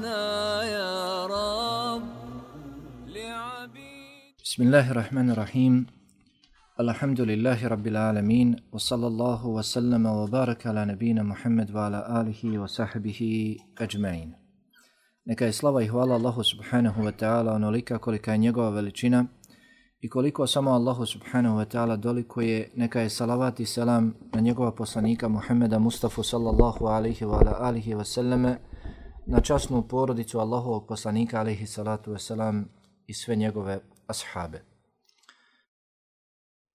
يا رب لعبيد. بسم الله الرحمن الرحيم. الحمد لله رب العالمين وصلى الله وسلم وبارك على نبينا محمد وعلى آله وصحبه أجمعين. Neka je slava i hvala Allahu subhanahu wa ta'ala onolika kolika je njegova veličina i koliko samo Allahu subhanahu wa ta'ala doliko je, neka je salavat i selam na njegova poslanika Muhammeda Mustafa sallallahu alaihi wa alihi wa sallame, na časnu porodicu Allahovog poslanika alaihi salatu wa salam i sve njegove ashabe.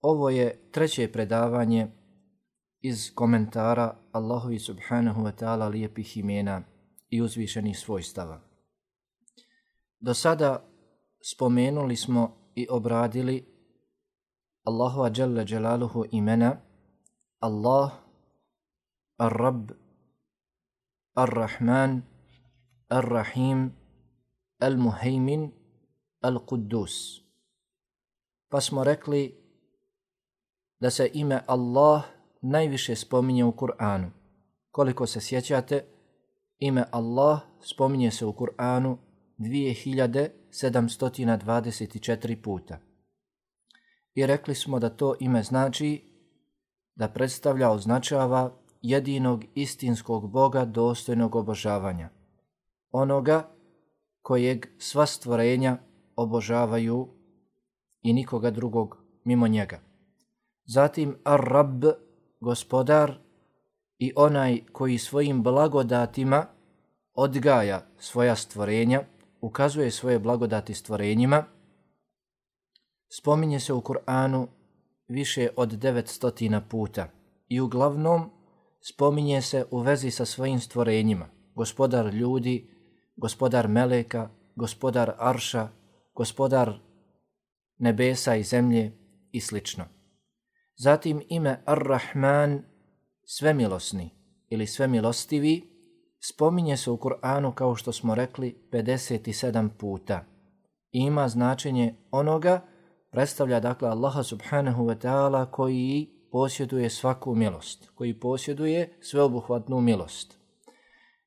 Ovo je treće predavanje iz komentara Allahovi subhanahu wa ta'ala lijepih imena i uzvišenih svojstava. Do sada spomenuli smo i obradili Allahova dželle dželaluhu imena Allah, Ar-Rab, Ar-Rahman, Ar-Rahim, Al-Muhaymin, Al-Quddus. Pa smo rekli da se ime Allah najviše spominje u Kur'anu. Koliko se sjećate, ime Allah spominje se u Kur'anu 2724 puta. I rekli smo da to ime znači da predstavlja, označava jedinog istinskog Boga dostojnog obožavanja. Onoga kojeg sva stvorenja obožavaju i nikoga drugog mimo njega. Zatim Ar-Rab, gospodar, i onaj koji svojim blagodatima odgaja svoja stvorenja, ukazuje svoje blagodati stvorenjima, spominje se u Kur'anu više od 900 puta i uglavnom spominje se u vezi sa svojim stvorenjima. Gospodar ljudi, gospodar meleka, gospodar arša, gospodar nebesa i zemlje i sl. Zatim ime Ar-Rahman, svemilosni ili svemilostivi, spominje se u Kur'anu, kao što smo rekli, 57 puta. I ima značenje onoga, predstavlja dakle Allaha subhanahu wa ta'ala koji posjeduje svaku milost, koji posjeduje sveobuhvatnu milost.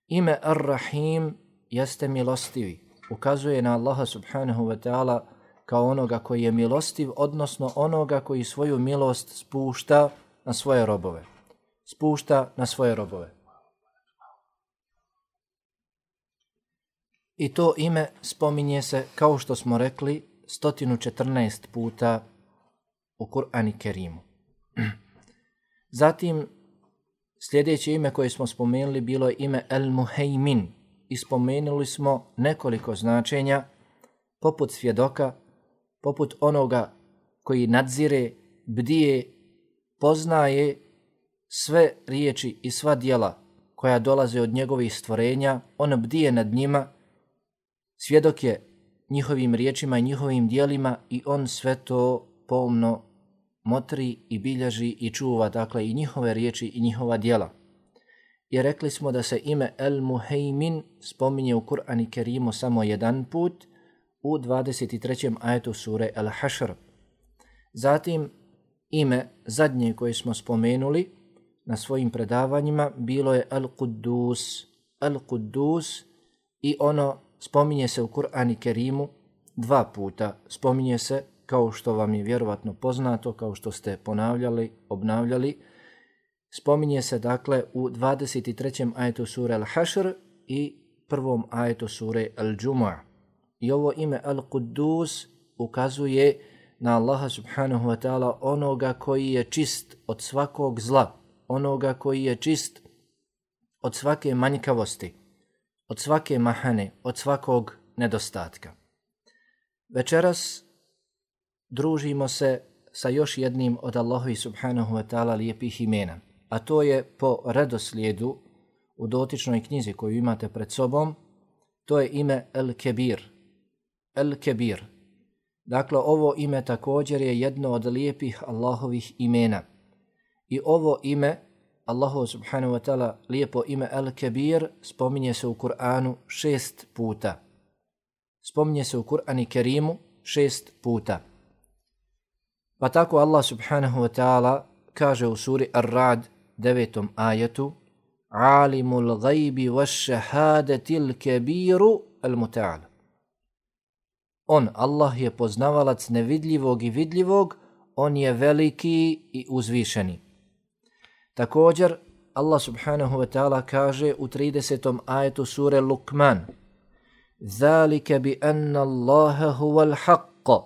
Ime Ar-Rahim jeste milostivi, ukazuje na Allaha subhanahu wa ta'ala kao onoga koji je milostiv, odnosno onoga koji svoju milost spušta na svoje robove. I to ime spominje se, kao što smo rekli, 114 puta u Kur'anu Kerimu. Zatim, sljedeće ime koje smo spomenuli bilo je ime Al-Muhaymin. I spomenuli smo nekoliko značenja, poput svjedoka, poput onoga koji nadzire, bdije, poznaje sve riječi i sva djela koja dolaze od njegovih stvorenja, on bdije nad njima, svjedok je njihovim riječima i njihovim djelima i on sve to pomno motri i bilježi i čuva, dakle i njihove riječi i njihova djela. I rekli smo da se ime Al-Muhaymin spominje u Kur'anu Kerimu samo jedan put, u 23. ajetu sure Al-Hašr. Zatim ime zadnje koje smo spomenuli na svojim predavanjima bilo je Al-Quddus. Al-Quddus, i ono spominje se u Kur'anu Kerimu 2 puta. Spominje se, kao što vam je vjerovatno poznato, kao što ste ponavljali, obnavljali, spominje se dakle u 23. ajetu sure Al-Hašr i 1. ajetu sure Al-Džumu'a. I ovo ime Al-Quddus ukazuje na Allaha subhanahu wa ta'ala, onoga koji je čist od svakog zla, onoga koji je čist od svake manjkavosti, od svake mahane, od svakog nedostatka. Večeras družimo se sa još jednim od Allahovi subhanahu wa ta'ala lijepih imena, a to je po redoslijedu u dotičnoj knjizi koju imate pred sobom, to je ime Al-Kebir. Al-Kebir. Dakle, ovo ime također je jedno od lijepih Allahovih imena. I ovo ime, Allahu subhanahu wa ta'ala lijepo ime Al-Kebir, spominje se u Kur'anu 6 puta. Spominje se u Kur'anu Kerimu 6 puta. Pa tako Allah subhanahu wa ta'ala kaže u suri Ar-Ra'd 9. ajetu: alimul gajbi vaššahadetil kebiru al muta'al. On, Allah, je poznavalac nevidljivog i vidljivog, on je veliki i uzvišeni. Također, Allah subhanahu wa ta'ala kaže u 30. ajetu sure Luqman: Zalike bi anna Allaha huwal haqq,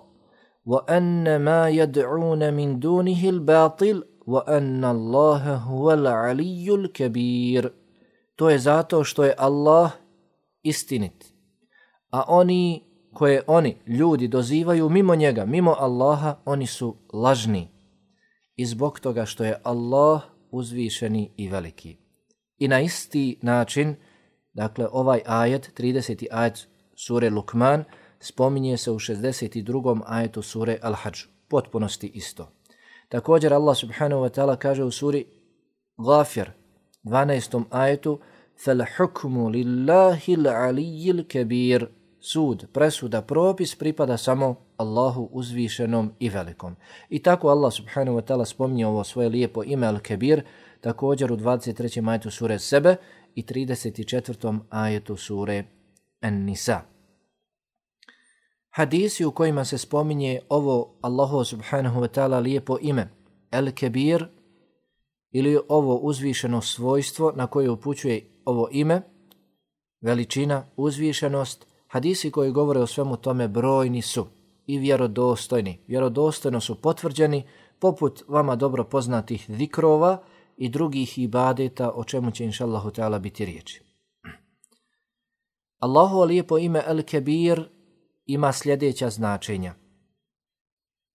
wa anna ma yad'una min dunihi al-batil, wa anna Allaha huwal aliyyul kabir. To je zato što je Allah istinit, a oni ljudi dozivaju mimo njega, mimo Allaha, oni su lažni. I zbog toga što je Allah uzvišeni i veliki. I na isti način, dakle ovaj ajet, 30. ajet sure Luqman, spominje se u 62. ajetu sure Al-Hadž. Potpunosti isto. Također Allah subhanahu wa ta'ala kaže u suri Ghafir, 12. ajetu: فَالْحُكْمُ لِلَّهِ الْعَلِيِّ الْكَبِيرِ. Sud, presuda, propis pripada samo Allahu uzvišenom i velikom. I tako Allah subhanahu wa ta'ala spominje ovo svoje lijepo ime Al-Kebir, također u 23. ajetu sure Sebe i 34. ajetu sure An-Nisa. Hadisi u kojima se spominje ovo Allahu subhanahu wa ta'ala lijepo ime Al-Kebir ili ovo uzvišeno svojstvo na koje upućuje ovo ime, veličina, uzvišenost, hadisi koji govore o svemu tome brojni su i vjerodostojni. Vjerodostojno su potvrđeni poput vama dobro poznatih zikrova i drugih ibadeta, o čemu će inšallahu ta'ala biti riječi. Allahu lijepo ime Al-Kebir ima sljedeća značenja.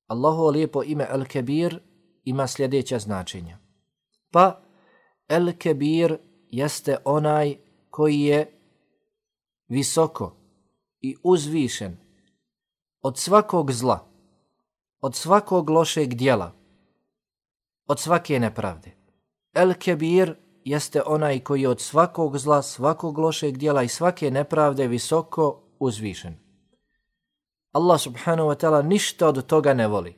Allahu lijepo ime Al-Kebir ima sljedeća značenja. Pa Al-Kebir jeste onaj koji je visoko i uzvišen od svakog zla, od svakog lošeg djela, od svake nepravde. El-Kebir jeste onaj koji je od svakog zla, svakog lošeg djela i svake nepravde visoko uzvišen. Allah subhanahu wa ta'ala ništa od toga ne voli.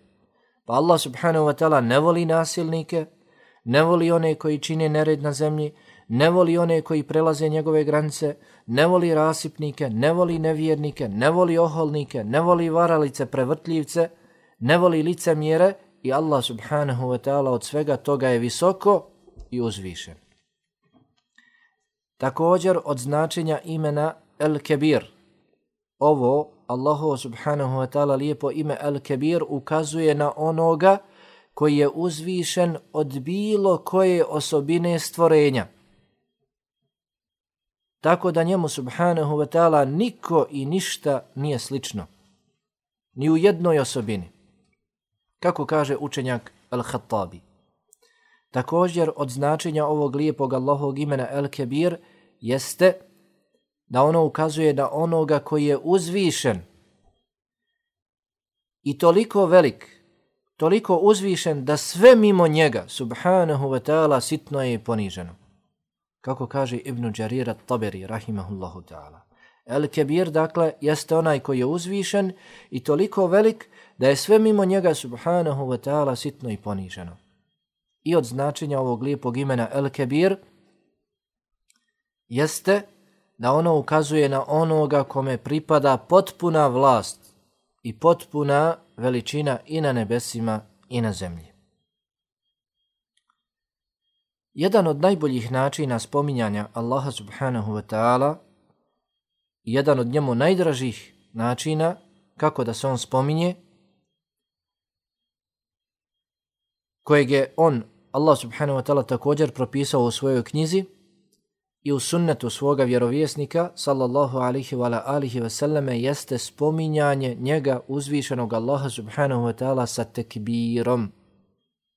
Pa Allah subhanahu wa ta'ala ne voli nasilnike, ne voli one koji čine nered na zemlji, ne voli one koji prelaze njegove granice, ne voli rasipnike, ne voli nevjernike, ne voli oholnike, ne voli varalice, prevrtljivce, ne voli licemjere i Allah subhanahu wa ta'ala od svega toga je visoko i uzvišen. Također od značenja imena El-Kebir, ovo Allahu subhanahu wa ta'ala lijepo ime El-Kebir ukazuje na onoga koji je uzvišen od bilo koje osobine stvorenja. Tako da njemu subhanahu wa ta'ala niko i ništa nije slično. Ni u jednoj osobini. Kako kaže učenjak Al-Khattabi. Također od značenja ovog lijepog Allahovog imena El-Kebir jeste da ono ukazuje na onoga koji je uzvišen i toliko velik, toliko uzvišen da sve mimo njega subhanahu wa ta'ala sitno je poniženo. Kako kaže Ibn Đarir at-Taberi, rahimahullahu ta'ala. El-Kebir, dakle, jeste onaj koji je uzvišen i toliko velik da je sve mimo njega subhanahu wa ta'ala sitno i poniženo. I od značenja ovog lijepog imena El-Kebir jeste da ono ukazuje na onoga kome pripada potpuna vlast i potpuna veličina i na nebesima i na zemlji. Jedan od najboljih načina spominjanja Allaha subhanahu wa ta'ala, jedan od njemu najdražih načina kako da se on spominje, kojeg je Allah subhanahu wa ta'ala također propisao u svojoj knjizi i u sunnetu svoga vjerovjesnika sallallahu alihi wa alihi wa sallame, jeste spominjanje njega uzvišenog Allaha subhanahu wa ta'ala sa tekbirom,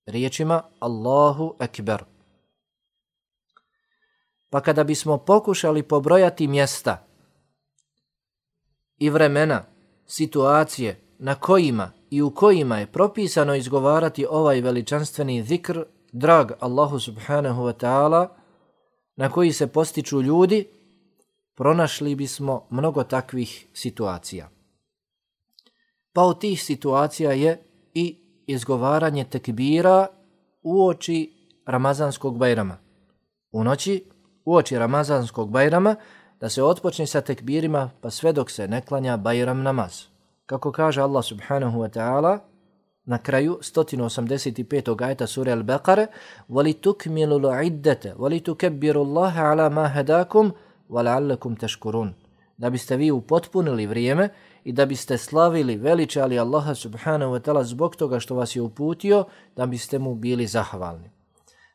riječima Allahu akbar. Pa kada bismo pokušali pobrojati mjesta i vremena, situacije na kojima i u kojima je propisano izgovarati ovaj veličanstveni zikr, drag Allahu subhanahu wa ta'ala, na koji se postiču ljudi, pronašli bismo mnogo takvih situacija. Pa od tih situacija je i izgovaranje tekbira uoči Ramazanskog Bajrama, u noći uoči Ramazanskog Bajrama, da se otpočne sa tekbirima pa sve dok se ne klanja Bajram namaz. Kako kaže Allah subhanahu wa ta'ala na kraju 185. ajeta sure Al-Baqara, وَلِتُكْمِلُوا الْعِدَّةَ وَلِتُكَبِّرُوا اللَّهَ عَلَى مَا هَدَاكُمْ وَلَعَلَّكُمْ تَشْكُرُونَ. Da biste vi upotpunili vrijeme i da biste slavili, veličali Allaha subhanahu wa ta'ala zbog toga što vas je uputio, da biste mu bili zahvalni.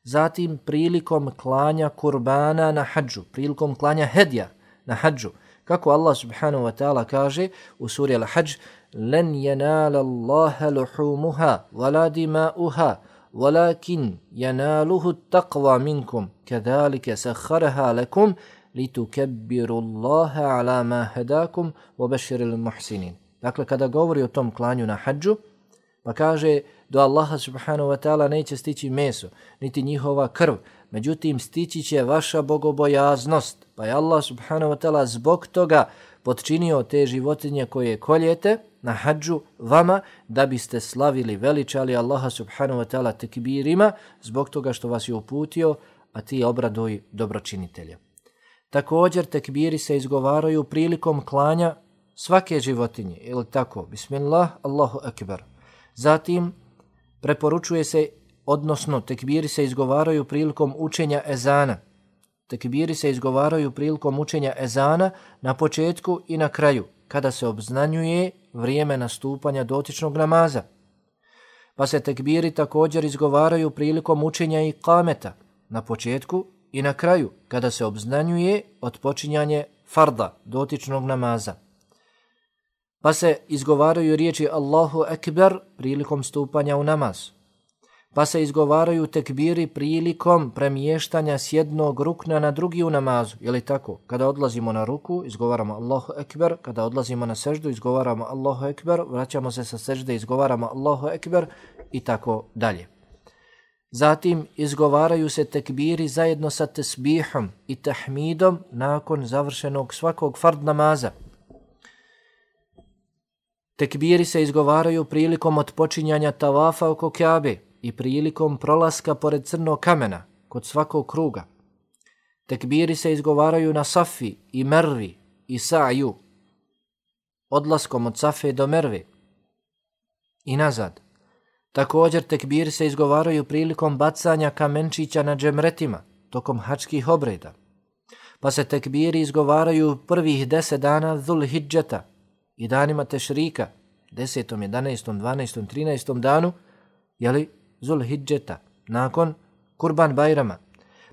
Zatim prilikom klanja kurbana na hadžu, prilikom klanja hedja na hadžu, kako Allah subhanahu wa ta'ala kaže u suri Al-Hadž, لَنْ يَنَالَ اللَّهَ لُحُومُهَا وَلَا دِمَاؤُهَا وَلَكِنْ يَنَالُهُ التَّقْوَى مِنْكُمْ كَذَلِكَ سَخَّرَهَا لَكُمْ لِتُكَبِّرُوا اللَّهَ عَلَى مَا هَدَاكُمْ وَبَشِّرِ الْمُحْسِنِينَ. Dakle, kada govori o tom klanju na hadžu, pa kaže do Allaha subhanahu wa ta'ala neće stići meso, niti njihova krv, međutim stići će vaša bogobojaznost. Pa je Allah subhanahu wa ta'ala zbog toga potčinio te životinje koje koljete na hadžu vama da biste slavili, veličali Allaha subhanahu wa ta'ala tekbirima zbog toga što vas je uputio, a ti obraduj dobročinitelja. Također tekbiri se izgovaraju prilikom klanja svake životinje, ili tako, bismillah, Allahu akbar. Zatim preporučuje se, odnosno tekbiri se izgovaraju prilikom učenja ezana. Tekbiri se izgovaraju prilikom učenja ezana na početku i na kraju, kada se obznanjuje vrijeme nastupanja dotičnog namaza. Pa se tekbiri također izgovaraju prilikom učenja iqameta na početku i na kraju, kada se obznanjuje odpočinjanje farda dotičnog namaza. Pa se izgovaraju riječi Allahu Ekber prilikom stupanja u namaz. Pa se izgovaraju tekbiri prilikom premještanja s jednog rukna na drugi u namazu. Je li tako? Kada odlazimo na ruku, izgovaramo Allahu Ekber. Kada odlazimo na seždu, izgovaramo Allahu Ekber. Vraćamo se sa sežde, izgovaramo Allahu Ekber i tako dalje. Zatim izgovaraju se tekbiri zajedno sa tesbihom i tahmidom nakon završenog svakog fard namaza. Tekbiri se izgovaraju prilikom otpočinjanja tavafa oko Kjabe i prilikom prolaska pored crnog kamena kod svakog kruga. Tekbiri se izgovaraju na Safi i Mervi i Sa'ju, odlaskom od Safe do Merve i nazad. Također tekbiri se izgovaraju prilikom bacanja kamenčića na džemretima tokom hačkih obreda. Pa se tekbiri izgovaraju prvih 10 dana Dhul Hidžeta i danima Tešrika, 10., 11., 12., 13. danu, jeli, Zul Hidžeta, nakon Kurban Bajrama.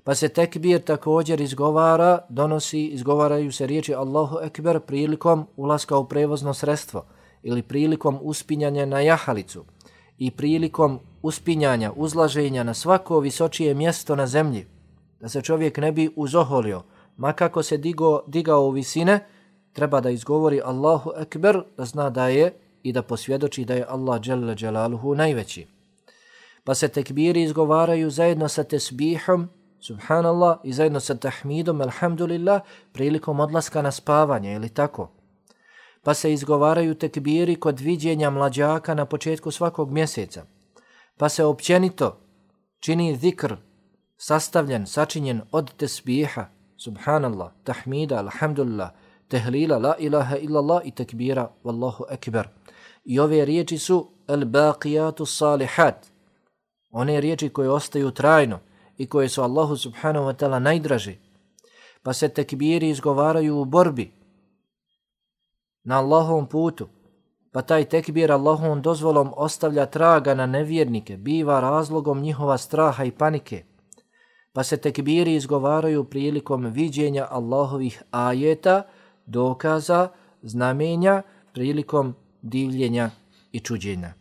Pa se tekbir također izgovaraju se riječi Allahu Ekber prilikom ulaska u prevozno sredstvo ili prilikom uspinjanja na jahalicu i prilikom uspinjanja, uzlaženja na svako visočije mjesto na zemlji, da se čovjek ne bi uzoholio, ma kako se digao u visine, treba da izgovori Allahu Ekber, da zna da je i da posvjedoči da je Allah dželle dželaluhu najveći. Pa se tekbiri izgovaraju zajedno sa tesbihom, subhanallah, i zajedno sa tahmidom, alhamdulillah, prilikom odlaska na spavanje, ili tako. Pa se izgovaraju tekbiri kod viđenja mlađaka na početku svakog mjeseca. Pa se općenito čini zikr sastavljen, sačinjen od tesbiha, subhanallah, tahmida, alhamdulillah, tehlila, la ilaha illallah i tekbira, wallahu ekber. I ove riječi su al-baqiyatu salihat, one riječi koje ostaju trajno i koje su Allahu subhanahu wa ta'ala najdraži. Pa se tekbiri izgovaraju u borbi na Allahovom putu, pa taj tekbir Allahovom dozvolom ostavlja traga na nevjernike, biva razlogom njihova straha i panike. Pa se tekbiri izgovaraju prilikom viđenja Allahovih ajeta, dokaza, znamenja, prilikom divljenja i čuđenja.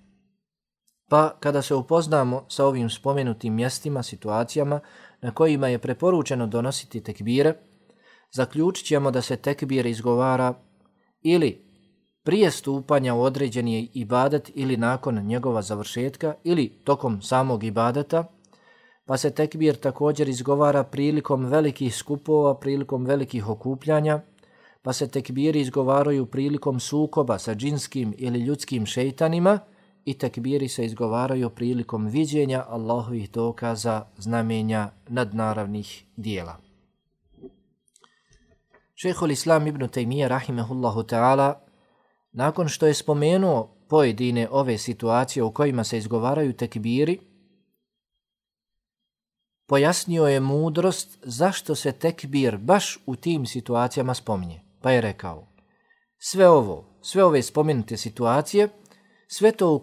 Pa kada se upoznamo sa ovim spomenutim mjestima, situacijama na kojima je preporučeno donositi tekbire, zaključit ćemo da se tekbir izgovara ili prije stupanja u određeni ibadet ili nakon njegova završetka ili tokom samog ibadeta, pa se tekbir također izgovara prilikom velikih skupova, prilikom velikih okupljanja, pa se tekbiri izgovaraju prilikom sukoba sa džinskim ili ljudskim šeitanima i tekbiri se izgovaraju prilikom viđenja Allahovih dokaza, znamenja, nadnaravnih dijela. Šejhul Islam ibn Tejmije rahimehullahu ta'ala, nakon što je spomenuo pojedine ove situacije u kojima se izgovaraju tekbiri, pojasnio je mudrost zašto se tekbir baš u tim situacijama spominje. Pa je rekao, sve ove spomenute situacije, sve to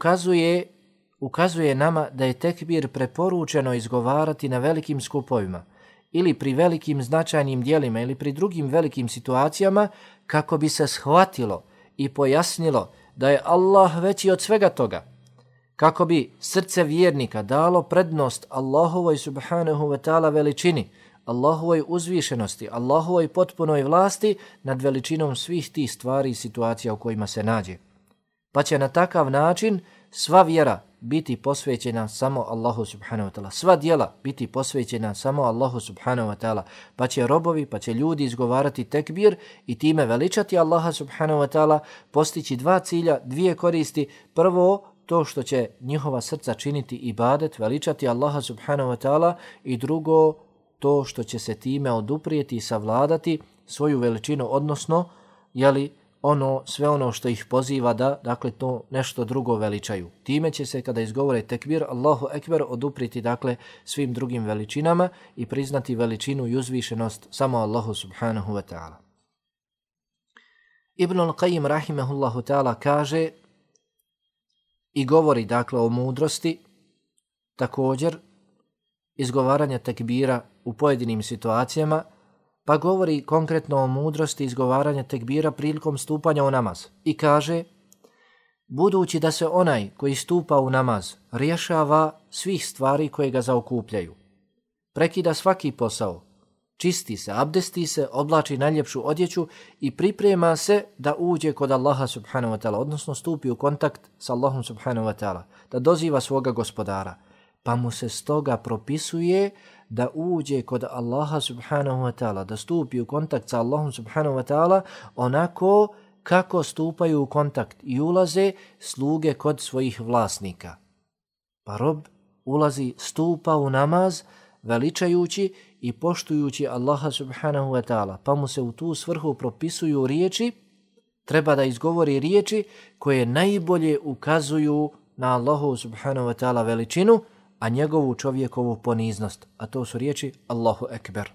ukazuje nama da je tekbir preporučeno izgovarati na velikim skupovima ili pri velikim značajnim dijelima ili pri drugim velikim situacijama kako bi se shvatilo i pojasnilo da je Allah veći od svega toga, kako bi srce vjernika dalo prednost Allahovoj subhanahu wa ta'ala veličini, Allahovoj uzvišenosti, Allahovoj potpunoj vlasti nad veličinom svih tih stvari i situacija u kojima se nađe. Pa će na takav način sva vjera biti posvećena samo Allahu subhanahu wa ta'ala, sva djela biti posvećena samo Allahu subhanahu wa ta'ala, pa će robovi, pa će ljudi izgovarati tekbir i time veličati Allaha subhanahu wa ta'ala, postići dva cilja, dvije koristi. Prvo, to što će njihova srca činiti ibadet, veličati Allaha subhanahu wa ta'ala, i drugo, to što će se time oduprijeti i savladati svoju veličinu, odnosno, sve ono što ih poziva da, dakle, to nešto drugo veličaju. Time će se, kada izgovore tekbir, Allahu ekber, oduprijeti, dakle, svim drugim veličinama i priznati veličinu i uzvišenost samo Allahu subhanahu wa ta'ala. Ibn al-Qayyim rahimehullahu ta'ala kaže i govori, dakle, o mudrosti također izgovaranja tekbira u pojedinim situacijama, pa govori konkretno o mudrosti izgovaranja tekbira prilikom stupanja u namaz i kaže, budući da se onaj koji stupa u namaz rješava svih stvari koje ga zaokupljaju, prekida svaki posao, čisti se, abdesti se, oblači najljepšu odjeću i priprema se da uđe kod Allaha subhanahu wa ta'ala, odnosno stupi u kontakt sa Allahom subhanahu wa ta'ala, da doziva svoga gospodara, pa mu se stoga propisuje da uđe kod Allaha subhanahu wa ta'ala, da stupi u kontakt sa Allahom subhanahu wa ta'ala onako kako stupaju u kontakt i ulaze sluge kod svojih vlasnika. Pa rob ulazi, stupa u namaz veličajući i poštujući Allaha subhanahu wa ta'ala, pa mu se u tu svrhu propisuju riječi, treba da izgovori riječi koje najbolje ukazuju na Allahu subhanahu wa ta'ala veličinu, a njegovu čovjekovu poniznost, a to su riječi Allahu ekber.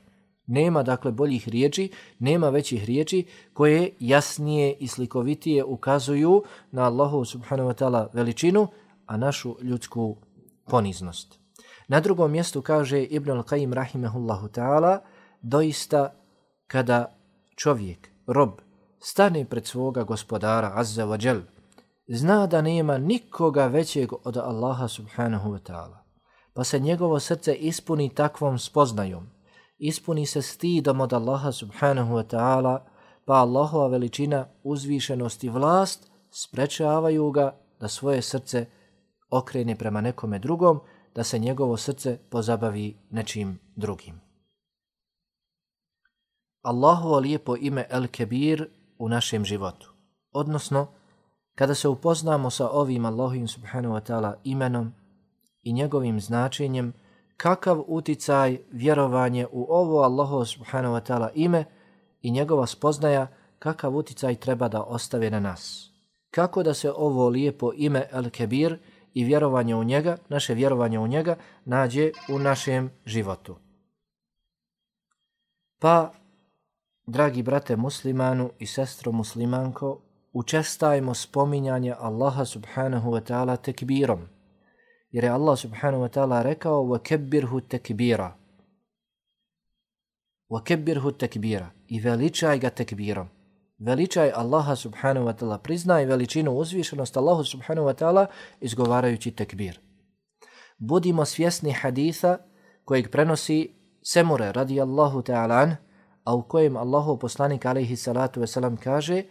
Nema, dakle, boljih riječi, nema većih riječi koje jasnije i slikovitije ukazuju na Allahu subhanahu wa ta'ala veličinu, a našu ljudsku poniznost. Na drugom mjestu kaže Ibn al-Qayyim rahimehullahu ta'ala, doista kada čovjek, rob, stane pred svoga gospodara azza wa jal, zna da nema nikoga većeg od Allaha subhanahu wa ta'ala, pa se njegovo srce ispuni takvom spoznajom, ispuni se stidom od Allaha subhanahu wa ta'ala, pa Allahova veličina, uzvišenost i vlast sprečavaju ga da svoje srce okrene prema nekome drugom, da se njegovo srce pozabavi nečim drugim. Allahovo lijepo ime El-Kebir u našem životu, odnosno kada se upoznamo sa ovim Allahovim subhanahu wa ta'ala imenom i njegovim značenjem, kakav uticaj vjerovanje u ovo Allahovo subhanahu wa ta'ala ime i njegova spoznaja, kakav uticaj treba da ostave na nas. Kako da se ovo lijepo ime El-Kebir i vjerovanje u njega, naše vjerovanje u njega, nađe u našem životu. Pa, dragi brate muslimanu i sestro muslimanko, učestajmo spominjanje Allaha subhanahu wa ta'ala tekbirom, jer je Allah subhanahu wa ta'ala rekao وَكَبِّرْهُ تَكْبِيرًا وَكَبِّرْهُ تَكْبِيرًا i veličaj ga tekbirom. Veličaj Allaha subhanahu wa ta'ala, priznaj veličinu, uzvišenost Allahu subhanahu wa ta'ala izgovarajući tekbir. Budimo svjesni haditha kojeg prenosi Semure radijallahu ta'ala an, a u kojem Allahu poslanik alaihi salatu wasalam kaže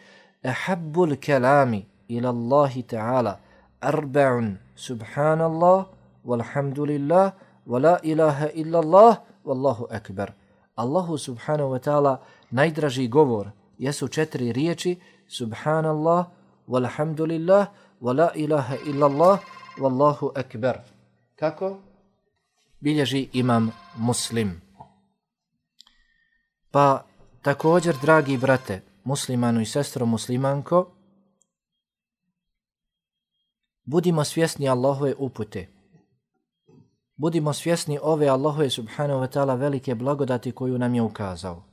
ahabbul kalami ila Allahi ta'ala arba'un subhanallah walhamdulillah wa la ilaha illa Allah wallahu akbar. Allahu subhanahu wa ta'ala najdraži govor jesu 4 riječi subhanallah walhamdulillah wa la ilaha illa Allah wallahu akbar. Kako? Bilježi imam Muslim. Pa Također, dragi brate, muslimanu i sestro muslimanko, budimo svjesni Allahove upute. Budimo svjesni ove Allahove subhanahu wa ta'ala velike blagodati koju nam je ukazao.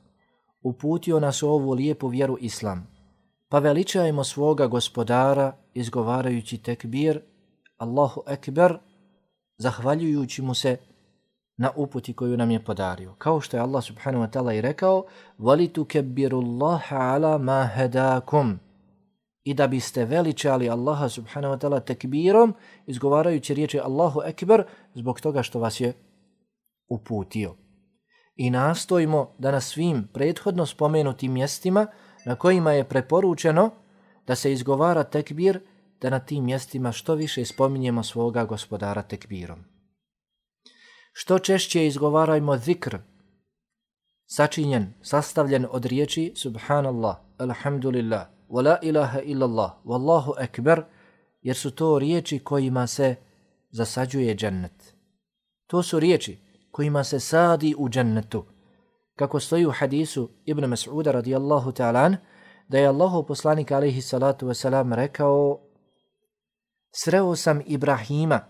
Uputio nas u ovu lijepu vjeru Islam. Pa veličajmo svoga gospodara izgovarajući tekbir, Allahu ekber, zahvaljujući mu se na uputi koju nam je podario. Kao što je Allah subhanahu wa ta'ala i rekao, وَلِتُكَبِّرُ اللَّهَ عَلَى مَا هَدَاكُمْ, i da biste veličali Allaha subhanahu wa ta'ala tekbirom, izgovarajući riječi Allahu ekber, zbog toga što vas je uputio. I nastojimo da na svim prethodno spomenutim mjestima na kojima je preporučeno da se izgovara tekbir, da na tim mjestima što više spominjemo svoga gospodara tekbirom. Što češće izgovarajmo zikr, sačinjen, sastavljen od riječi subhanallah, alhamdulillah, wa la ilaha illallah, wallahu ekber, jer su to riječi kojima se zasađuje džennet. To su riječi kojima se sadi u džennetu. Kako stoji u hadisu Ibn Mas'uda radijallahu ta'ala, da je Allahov poslanik alejhi salatu wasalam rekao: sreo sam Ibrahima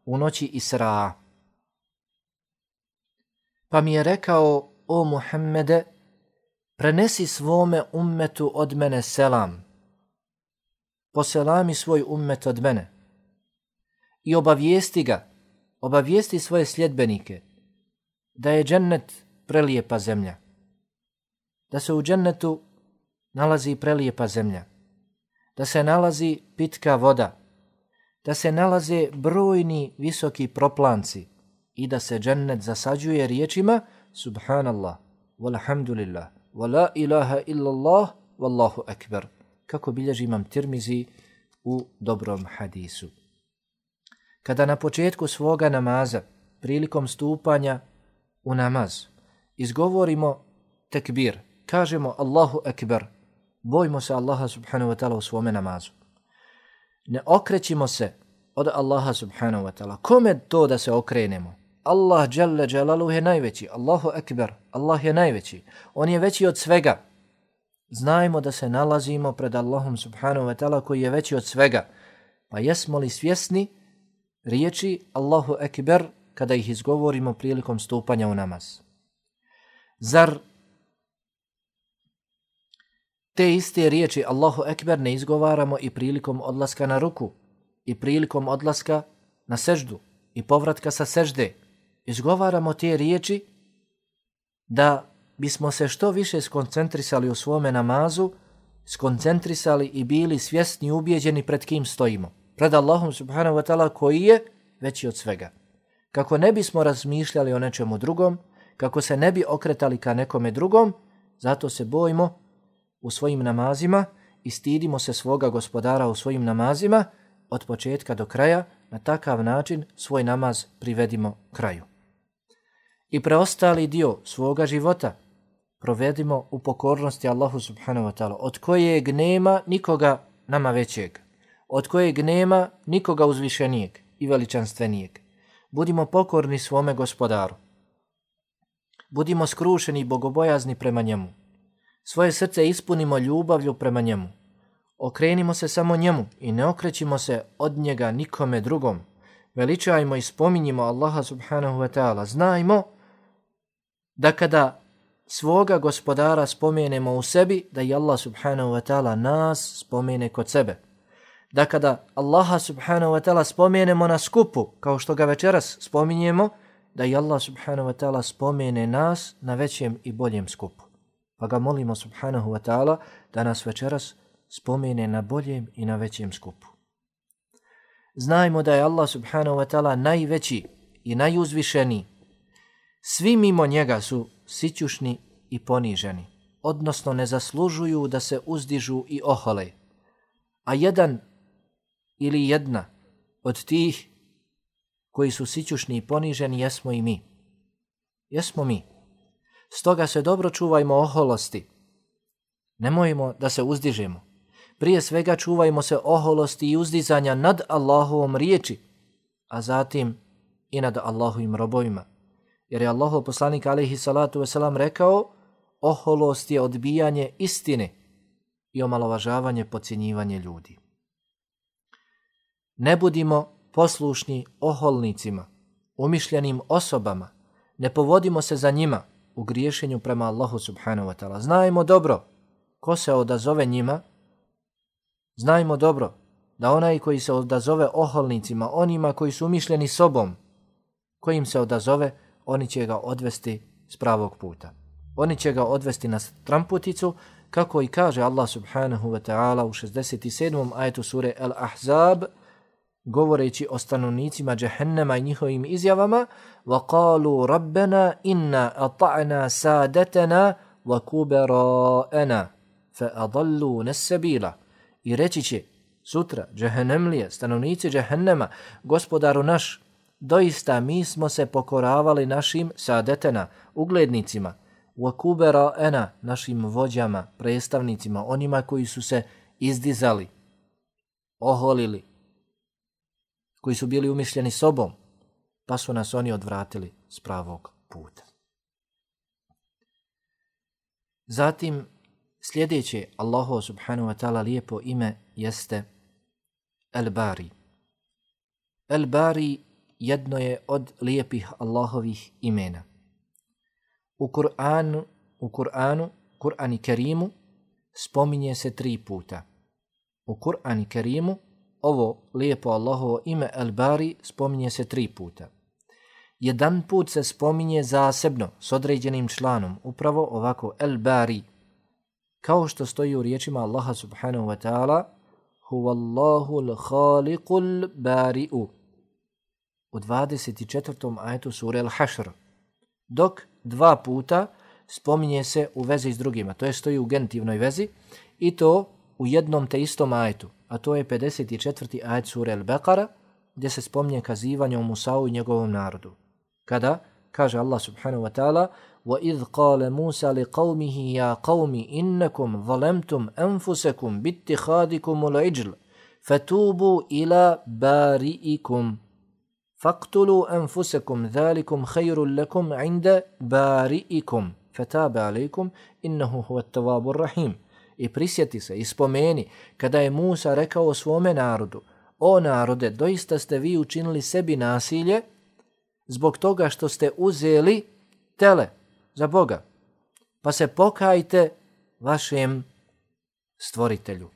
u noći Isra, pa mi je rekao: o Muhammede, prenesi svome ummetu od mene selam, poselami svoj ummet od mene i obavijesti ga, obavijesti svoje sljedbenike da je džennet prelijepa zemlja, da se u džennetu nalazi prelijepa zemlja, da se nalazi pitka voda, da se nalaze brojni visoki proplanci i da se džennet zasađuje riječima subhanallah, walhamdulillah, wa la ilaha illallah, wallahu ekber, kako bilježi imam Tirmizi u dobrom hadisu. Kada na početku svoga namaza, prilikom stupanja u namaz, izgovorimo tekbir, kažemo Allahu ekber, bojimo se Allaha subhanahu wa ta'ala u svome namazu. Ne okrećimo se od Allaha subhanahu wa ta'ala. Kome to da se okrenemo? Allah dželle dželaluhu je najveći. Allahu ekber, Allah je najveći. On je veći od svega. Znajmo da se nalazimo pred Allahom subhanahu wa ta'ala koji je veći od svega. Pa jesmo li svjesni riječi Allahu ekber kada ih izgovorimo prilikom stupanja u namaz? Zar te iste riječi Allahu ekber ne izgovaramo i prilikom odlaska na ruku, i prilikom odlaska na seždu, i povratka sa sežde? Izgovaramo te riječi da bismo se što više skoncentrisali u svome namazu, skoncentrisali i bili svjesni i ubijeđeni pred kim stojimo. Pred Allahom subhanahu wa ta'ala koji je veći od svega. Kako ne bismo razmišljali o nečemu drugom, kako se ne bi okretali ka nekome drugom, zato se bojimo u svojim namazima i stidimo se svoga gospodara u svojim namazima od početka do kraja, na takav način svoj namaz privedimo kraju. I preostali dio svoga života provedimo u pokornosti Allahu subhanahu wa ta'ala, od kojeg nema nikoga nama većeg, od kojeg nema nikoga uzvišenijeg i veličanstvenijeg. Budimo pokorni svome gospodaru. Budimo skrušeni i bogobojazni prema njemu. Svoje srce ispunimo ljubavlju prema njemu. Okrenimo se samo njemu i ne okrećimo se od njega nikome drugom. Veličajmo i spominjimo Allaha subhanahu wa ta'ala. Znajmo da kada svoga gospodara spomenemo u sebi, da i Allah subhanahu wa ta'ala nas spomene kod sebe. Da kada Allaha subhanahu wa ta'ala spomenemo na skupu, kao što ga večeras spominjemo, da i Allah subhanahu wa ta'ala spomene nas na većem i boljem skupu. Pa ga molimo subhanahu wa ta'ala da nas večeras spomene na boljem i na većem skupu. Znajmo da je Allah subhanahu wa ta'ala najveći i najuzvišeniji. Svi mimo njega su sićušni i poniženi, odnosno ne zaslužuju da se uzdižu i ohole. A jedan ili jedna od tih koji su sićušni i poniženi jesmo i mi. Jesmo mi. Stoga se dobro čuvajmo oholosti. Nemojmo da se uzdižemo. Prije svega čuvajmo se oholosti i uzdizanja nad Allahovom riječi, a zatim i nad Allahovim robovima. Jer je Allahov poslanik alejhi salatu vesselam rekao: oholost je odbijanje istine i omalovažavanje, podcjenjivanje ljudi. Ne budimo poslušni oholnicima, umišljenim osobama, ne povodimo se za njima u griješenju prema Allahu subhanahu wa ta'ala. Znajmo dobro ko se odazove njima, znajmo dobro da onaj koji se odazove oholnicima, onima koji su umišljeni sobom, kojim se odazove, oni će ga odvesti s pravog puta. Oni će ga odvesti na stramputicu, kako i kaže Allah subhanahu wa ta'ala u 67. ajetu sure Al-Ahzab, govoreći o stanovnicima džehennema i njihovim izjavama, وَقَالُوا رَبَّنَا إِنَّا أَطَعْنَا سَادَتَنَا وَكُبَرَاءَنَا فَأَضَلُّونَ السَّبِيلَ. I reći će sutra džehennemlije, stanovnici džehennema, gospodaru naš, doista mi smo se pokoravali našim sadetena, uglednicima, وَكُبَرَاءَنَا, našim vođama, predstavnicima, onima koji su se izdizali, oholili, koji su bili umišljeni sobom, pa su nas oni odvratili s pravog puta. Zatim, sljedeće Allahu subhanahu wa ta'ala lijepo ime jeste El-Bari. El-Bari jedno je od lijepih Allahovih imena. U Kur'anu Kerimu spominje se 3 puta. U Kur'anu Kerimu ovo lijepo Allahovo ime El-Bari spominje se 3 puta. Jedan put se spominje zasebno s određenim članom, upravo ovako El-Bari, kao što stoji u riječima Allaha subhanahu wa ta'ala Huvallahu l-khaliqul bari'u u 24. ajetu sure Al-Hašr, dok 2 puta spominje se u vezi s drugima, to je stoji u genitivnoj vezi i to u jednom te istom ajetu, a to je 54. ajet sure Al-Baqara, gdje se spominje kazivanje o Musau i njegovom narodu. Kada kaže Allah subhanahu wa ta'ala وَإِذْ قَالَ مُوسَى لِقَوْمِهِ يَا قَوْمِ إِنَّكُمْ ظَلَمْتُمْ أَنفُسَكُمْ بِاتِّخَاذِكُمُ الْعِجْلِ فَتُوبُوا إِلَى بَارِئِكُمْ فَاقْتُلُوا أَنفُسَكُمْ ذَلِكُمْ خَيْرٌ لَكُمْ عِنْدَ بَارِئِكُمْ فَتَابَ عَلَيْكُمْ إِنَّهُ هُوَ التَّوَّابُ الرَّحِيمُ. I prisjeti se i spomeni kada je Musa rekao svome narodu: o narode, doista ste vi učinili sebi nasilje zbog toga što ste uzeli tele za Boga, pa se pokajte vašem stvoritelju.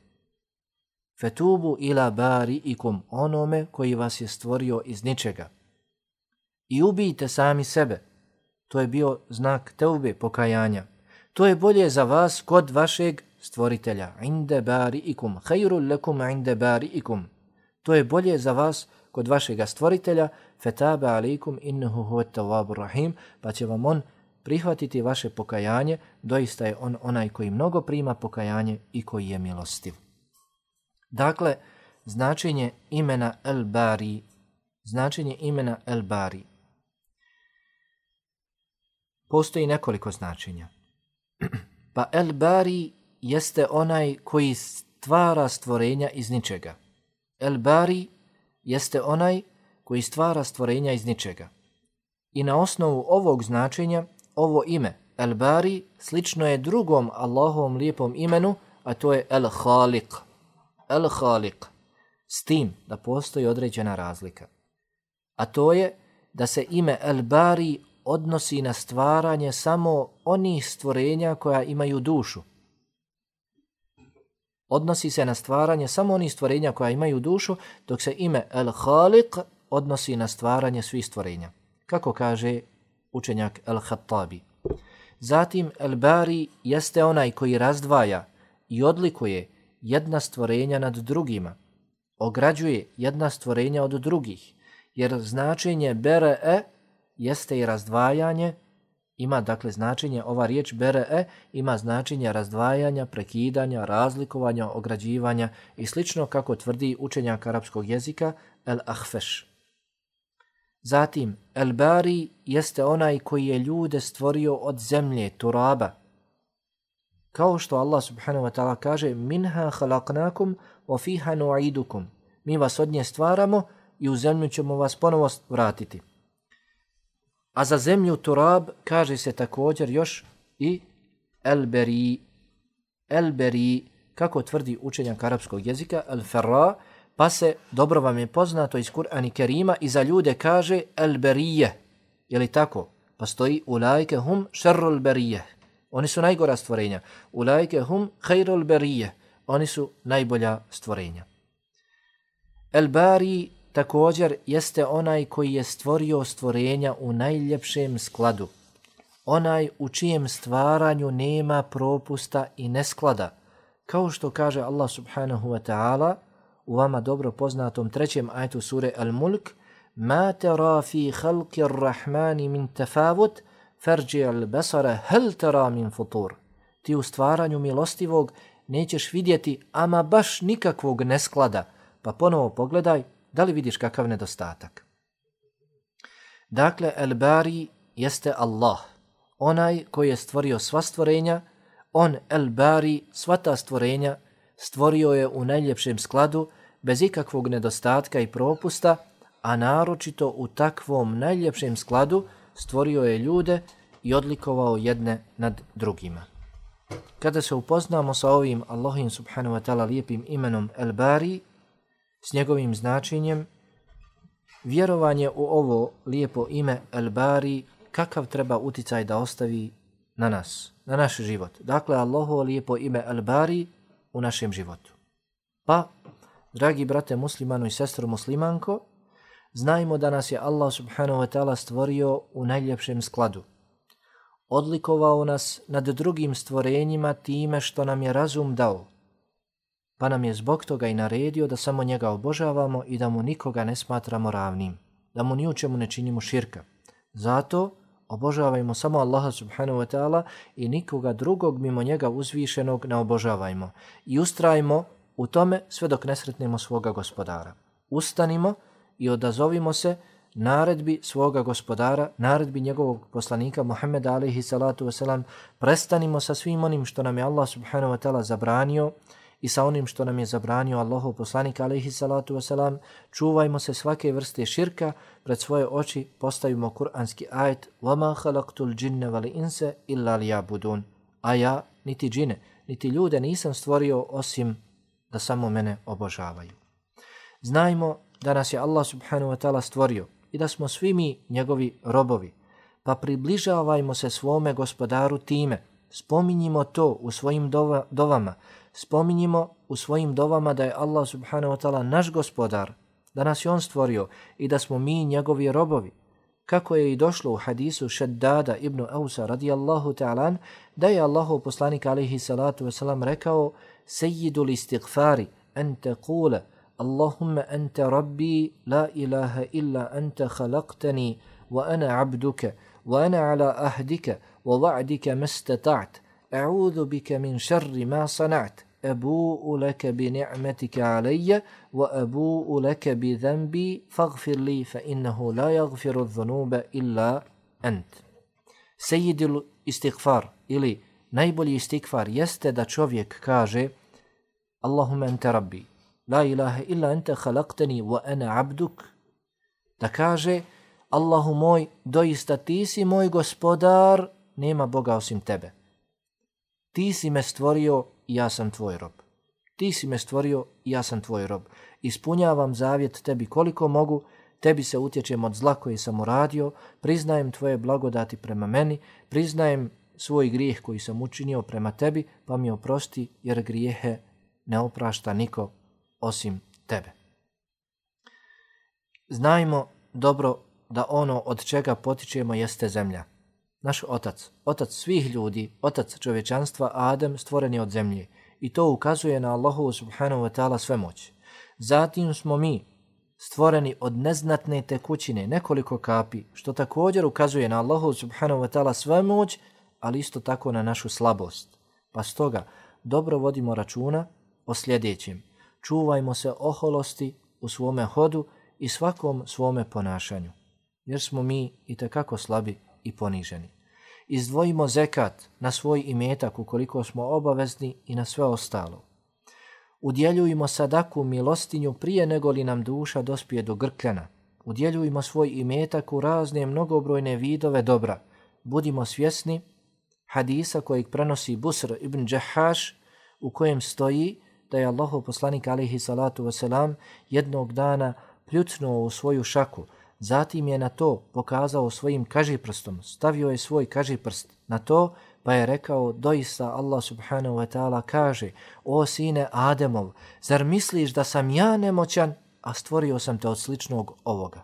Fetubu ila bari'ikum, onome koji vas je stvorio iz ničega. I ubijte sami sebe. To je bio znak teube, pokajanja. To je bolje za vas kod vašeg stvoritelja. Inde bari'ikum, hayrul lakum inde bari'ikum. To je bolje za vas kod vašega stvoritelja. Fetaba alaikum innahu huvat tawwabur rahim, pa će vam on prihvatiti vaše pokajanje, doista je on onaj koji mnogo prima pokajanje i koji je milostiv. Dakle, značenje imena El-Bari, postoji nekoliko značenja. Pa El-Bari jeste onaj koji stvara stvorenja iz ničega. El-Bari jeste onaj koji stvara stvorenja iz ničega. I na osnovu ovog značenja, ovo ime El-Bari slično je drugom Allahovom lijepom imenu, a to je El-Khaliq. El-Khaliq, s tim da postoji određena razlika. A to je da se ime El-Bari odnosi na stvaranje samo onih stvorenja koja imaju dušu. Odnosi se na stvaranje samo onih stvorenja koja imaju dušu, dok se ime El-Khaliq odnosi na stvaranje svih stvorenja. Kako kaže učenjak El-Khattabi. Zatim El-Bari jeste onaj koji razdvaja i odlikuje jedna stvorenja nad drugima, ograđuje jedna stvorenja od drugih, jer značenje bere'e jeste i razdvajanje, ima dakle značenje, ova riječ bere'e ima značenje razdvajanja, prekidanja, razlikovanja, ograđivanja i slično kako tvrdi učenjak arapskog jezika El-Ahfeš. Zatim, El-Bari jeste onaj koji je ljude stvorio od zemlje, turaba. Kao što Allah subhanahu wa ta'ala kaže minha khalaqnakum wa fiha nu'idukum. Mi vas od nje stvaramo i u zemlju ćemo vas ponovo vratiti. A za zemlju turab kaže se također još i el-beri, kako tvrdi učenjak arapskog jezika, el-ferra, pa se, dobro vam je poznato iz Kur'ana Kerima, i za ljude kaže el-berije. Je li tako? Pa stoji ulajke hum šerrul berije. Oni su najgora stvorenja. Ulajke hum hejrul berije. Oni su najbolja stvorenja. El-bari također jeste onaj koji je stvorio stvorenja u najljepšem skladu. Onaj u čijem stvaranju nema propusta i nesklada. Kao što kaže Allah subhanahu wa ta'ala u vama dobro poznatom 3. ajetu sure Al-Mulk, ma tara fi khalqi ar-rahmani min tafavut farji al-basara hal tara min futur. Ti u stvaranju milostivog nećeš vidjeti ama baš nikakvog nesklada, pa ponovo pogledaj da li vidiš kakav nedostatak. Dakle, El-Bari jeste Allah, onaj koji je stvorio sva stvorenja. On, El-Bari, sva ta stvorenja stvorio je u najljepšem skladu, bez ikakvog nedostatka i propusta, a naročito u takvom najljepšem skladu stvorio je ljude i odlikovao jedne nad drugima. Kada se upoznamo sa ovim Allahovim subhanahu wa ta'ala lijepim imenom El-Bari, s njegovim značenjem, vjerovanje u ovo lijepo ime El-Bari, kakav treba uticaj da ostavi na nas, na naš život. Dakle, Allahovo lijepo ime El-Bari u našem životu. Pa, dragi brate muslimano i sestro muslimanko, znajmo da nas je Allah subhanahu wa ta'ala stvorio u najljepšem skladu. Odlikovao nas nad drugim stvorenjima time što nam je razum dao, pa nam je zbog toga i naredio da samo njega obožavamo i da mu nikoga ne smatramo ravnim, da mu ni u čemu ne činimo širka. Zato obožavajmo samo Allaha subhanahu wa ta'ala i nikoga drugog mimo njega uzvišenog ne obožavajmo. I ustrajmo u tome sve dok ne sretnemo svoga gospodara. Ustanimo i odazovimo se naredbi svoga gospodara, naredbi njegovog poslanika Muhammeda alejhi salatu vesselam. Prestanimo sa svim onim što nam je Allah subhanahu wa ta'ala zabranio i sa onim što nam je zabranio Allahov poslanik alejhi salatu vesselam. Čuvajmo se svake vrste širka, pred svoje oči postavimo kuranski ajet وَمَا خَلَقْتُ الْجِنَّ وَالْإِنْسَ إِلَّا لِيَعْبُدُونَ. A ja, niti džine, niti ljude nisam stvorio osim da samo mene obožavaju. Znajmo da nas je Allah subhanahu wa ta'ala stvorio i da smo svi mi njegovi robovi, pa približavajmo se svome gospodaru time. Spominjimo to u svojim dovama. Spominjimo u svojim dovama da je Allah subhanahu wa ta'ala naš gospodar, da nas je on stvorio i da smo mi njegovi robovi. Kako je i došlo u hadisu Šeddada ibn Ausa radijallahu ta'ala, da je Allahov poslanik alejhi salatu vesselam rekao: Sejidul istighfari an taqula Allahumma anta rabbi la ilaha illa anta khalaqtani wa ana abduka wa ana ala ahdika wa wa'dika mastata'at a'udhu bika min sharri ma sana'at abu'u laka bi ni'matika alayya wa abu'u laka bi dhanbi faghfir li fa innahu la yaghfiru adh-dhunuba illa ant. Sejidul istighfar ili najbolji istighfar jeste da čovjek kaže: Allahumma anta rabbi la ilaha illa anta khalaqtani wa ana abduk. Da kaže: Allahu moj, doista ti si moj gospodar, nema Boga osim tebe. Ti si me stvorio i ja sam tvoj rob. Ti si me stvorio i ja sam tvoj rob. Ispunjavam zavjet tebi koliko mogu, tebi se utječem od zla koji sam uradio, priznajem tvoje blagodati prema meni, priznajem svoj grijeh koji sam učinio prema tebi, pa mi oprosti, jer grijehe ne oprašta niko osim tebe. Znajmo dobro da ono od čega potičemo jeste zemlja. Naš otac, otac svih ljudi, otac čovječanstva, Adem, stvoren je od zemlje. I to ukazuje na Allahovu subhanahu wa ta'ala svemoć. Zatim smo mi stvoreni od neznatne tekućine, nekoliko kapi, što također ukazuje na Allahovu subhanahu wa ta'ala svemoć, ali isto tako na našu slabost. Pa stoga dobro vodimo računa o sljedećem. Čuvajmo se oholosti u svome hodu i svakom svome ponašanju, jer smo mi itekako slabi i poniženi. Izdvojimo zekat na svoj imetak ukoliko smo obavezni i na sve ostalo. Udjeljujmo sadaku milostinju prije nego li nam duša dospije do grkljana. Udjeljujmo svoj imetak u razne mnogobrojne vidove dobra. Budimo svjesni hadisa kojeg prenosi Busr ibn Džahaš, u kojem stoji da je Allahov poslanik alejhi salatu vesselam jednog dana pljucnuo u svoju šaku, zatim je na to pokazao svojim kažiprstom, stavio je svoj kažiprst na to, pa je rekao, doista Allah subhanahu wa ta'ala kaže, o sine Ademov, zar misliš da sam ja nemoćan, a stvorio sam te od sličnog ovoga?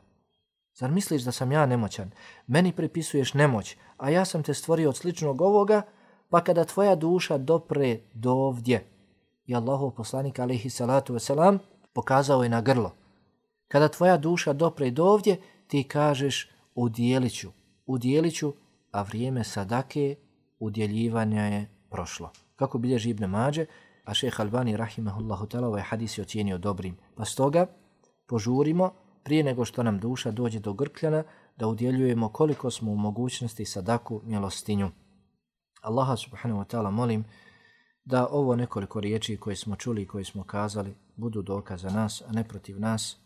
Zar misliš da sam ja nemoćan? Meni pripisuješ nemoć, a ja sam te stvorio od sličnog ovoga, pa kada tvoja duša dopre do ovdje, i Allahov poslanik alejhi salatu vesselam pokazao je na grlo. Kada tvoja duša dopre do ovdje, ti kažeš udjelit ću, a vrijeme sadake udjeljivanja je prošlo. Kako bilježi Ibn Mađe, a šejh Albani rahimahullahu ta'ala ovaj hadis je ocijenio dobrim. Pa stoga požurimo prije nego što nam duša dođe do grkljana da udjeljujemo koliko smo u mogućnosti sadaku milostinju. Allaha subhanahu wa ta'ala molim da ovo nekoliko riječi koje smo čuli i koje smo kazali budu dokaz za nas, a ne protiv nas.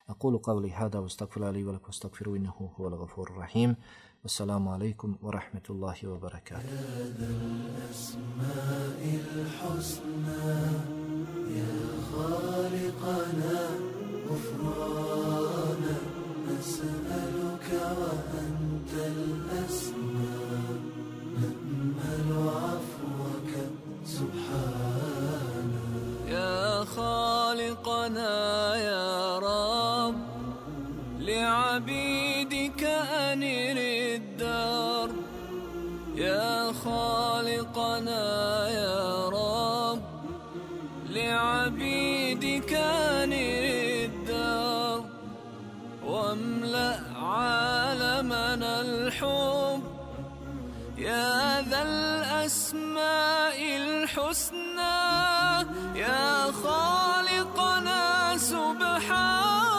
أقول قولي هذا واستغفر الله لي ولكم واستغفروه إنه هو الغفور الرحيم والسلام عليكم ورحمة الله وبركاته. هذا الأسماء الحسنى يا خالقنا غفرانا نسألك وأنت الأسمى نأمل عفوك سبحانا يا خالقنا يا رب لعبيدك أنر الدار يا خالقنا يا رب لعبيدك أنر الدار واملأ عالمنا الحب يا ذا الأسماء الحسنى يا خالقنا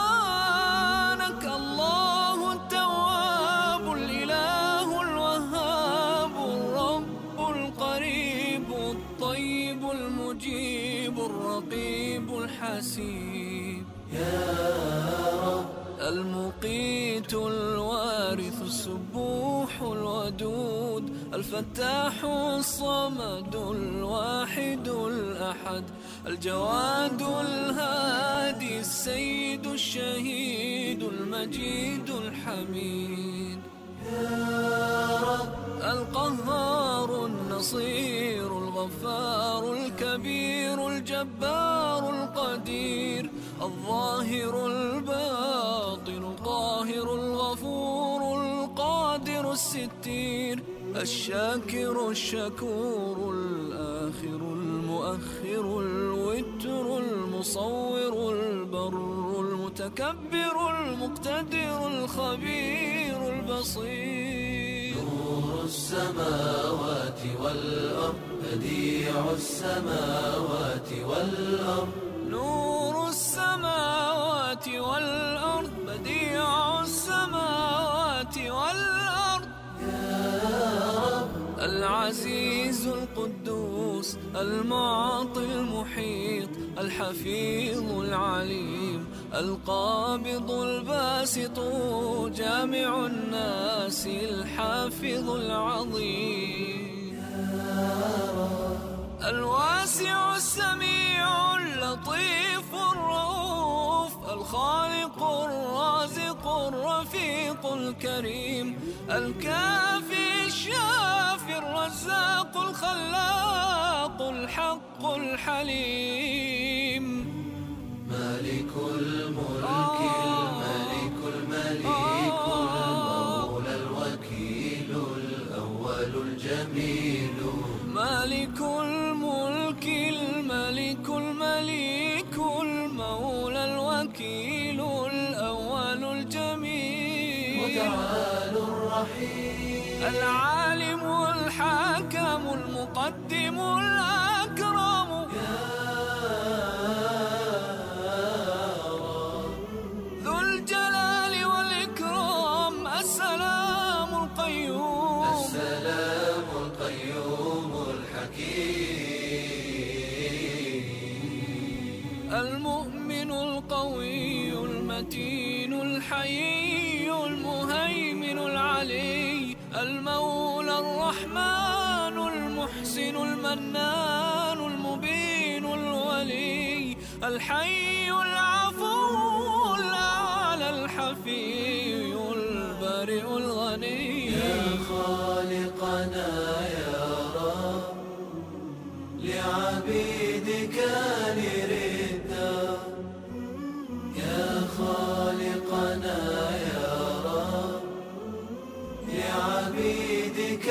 سبحانك الله التواب الإله الوهاب الرب القريب الطيب المجيب الرقيب الحسيب يا رب المقيت الوارث السبوح الودود الفتاح الصمد الواحد الأحد الجواد الهادي السيد الشهيد المجيد الحميد يا رب القهار النصير الغفار الكبير الجبار القدير الظاهر الباطن القاهر الغفور القادر الستير الشاكر الشكور الآخر المؤخر الوتر المصور البر المتكبر المقتدر الخبير البصير نور السماوات والأرض بديع السماوات والأرض نور السماوات والأرض بديع السماوات والأرض العزيز القدوس المعطي المحيط الحفيظ العليم القابض الباسط جامع الناس الحافظ العظيم الواسع السميع اللطيف الرؤوف الخالق الرازق الرفيق الكريم الكافي الشافي الرزاق الخلاق الحق الحليم مالك الملك الملك المليك المولى الوكيل الأول الجميل مالك الملك الملك المليك المولى الوكيل الأول الجميل متعال الرحيم العالم الحاكم المقدم الأكرم ذو الجلال والإكرام السلام القيوم السلام القيوم الحكيم المؤمن القوي المتين الحيي المهيمن العلي المولى الرحمن المحسن المنان المبين الولي الحي العفو الأعلى الحفي البارئ الغني يا خالقنا يا رب لعبيدك نردا يا خالقنا يا رب لعبيدك